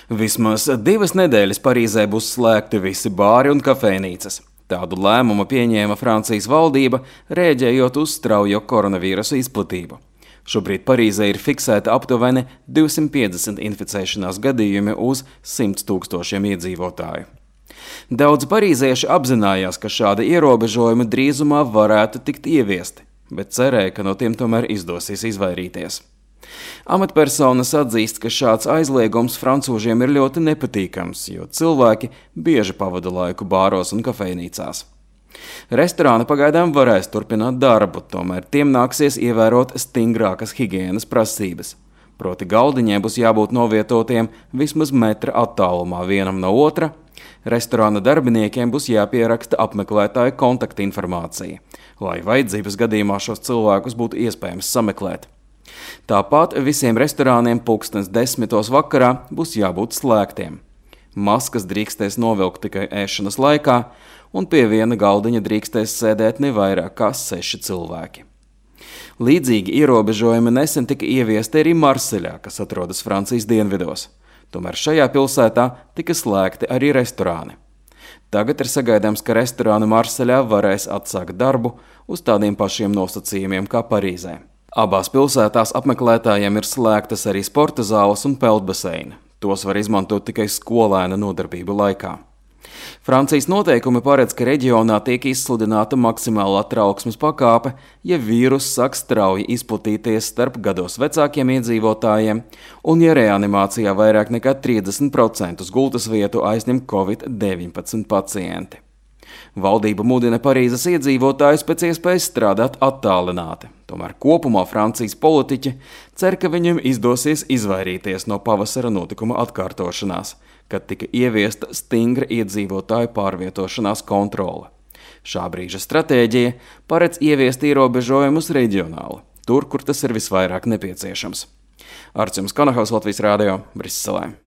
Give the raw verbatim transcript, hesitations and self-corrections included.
Vismaz divas nedēļas Parīzē būs slēgti visi bāri un kafejnīcas. Tādu lēmumu pieņēma Francijas valdība, rēģējot uz straujo koronavīrusa izplatību. Šobrīd Parīzē ir fiksēta aptuveni divsimt piecdesmit inficēšanās gadījumi uz simt tūkstošiem iedzīvotāju. Daudz parīzieši apzinājās, ka šādi ierobežojumi drīzumā varētu tikt ieviesti, bet cerēja, ka no tiem tomēr izdosies izvairīties. Amatpersonas atzīst, ka šāds aizliegums francūžiem ir ļoti nepatīkams, jo cilvēki bieži pavada laiku bāros un kafejnīcās. Restorāni pagaidām varēs turpināt darbu, tomēr tiem nāksies ievērot stingrākas higienas prasības. Proti galdiņiem būs jābūt novietotiem vismaz metra attālumā vienam no otra. Restorāna darbiniekiem būs jāpieraksta apmeklētāja kontaktinformācija, lai vajadzības gadījumā šos cilvēkus būtu iespējams sameklēt. Tāpat visiem restorāniem pulkstens desmitos vakarā būs jābūt slēgtiem. Maskas drīkstēs novilkt tikai ēšanas laikā, un pie viena galdiņa drīkstēs sēdēt ne vairāk kā seši cilvēki. Līdzīgi ierobežojumi nesen tika ieviesti arī Marseļā, kas atrodas Francijas dienvidos. Tomēr šajā pilsētā tika slēgti arī restorāni. Tagad ir sagaidāms, ka restorāni Marseļā varēs atsākt darbu uz tādiem pašiem nosacījumiem kā Parīzē. Abās pilsētās apmeklētājiem ir slēgtas arī sporta zāles un peldbaseini. Tos var izmantot tikai skolēna nodarbību laikā. Francijas noteikumi paredz, ka reģionā tiek izsludināta maksimālā trauksmes pakāpe, ja vīruss sāk strauji izplatīties starp gados vecākiem iedzīvotājiem un ja reanimācijā vairāk nekā trīsdesmit procentus gultas vietu aizņem covid deviņpadsmit pacienti. Valdība mudina Parīzes iedzīvotājus pēc iespējas strādāt attālināti. Tomēr kopumā Francijas politiķi cer, ka viņiem izdosies izvairīties no pavasara notikuma atkārtošanās, kad tika ieviesta stingra iedzīvotāju pārvietošanās kontrole. Šā brīža stratēģija paredz ieviest ierobežojumus reģionāli, tur, kur tas ir visvairāk nepieciešams. Arts Kanahals, Latvijas Rādio, Briselē.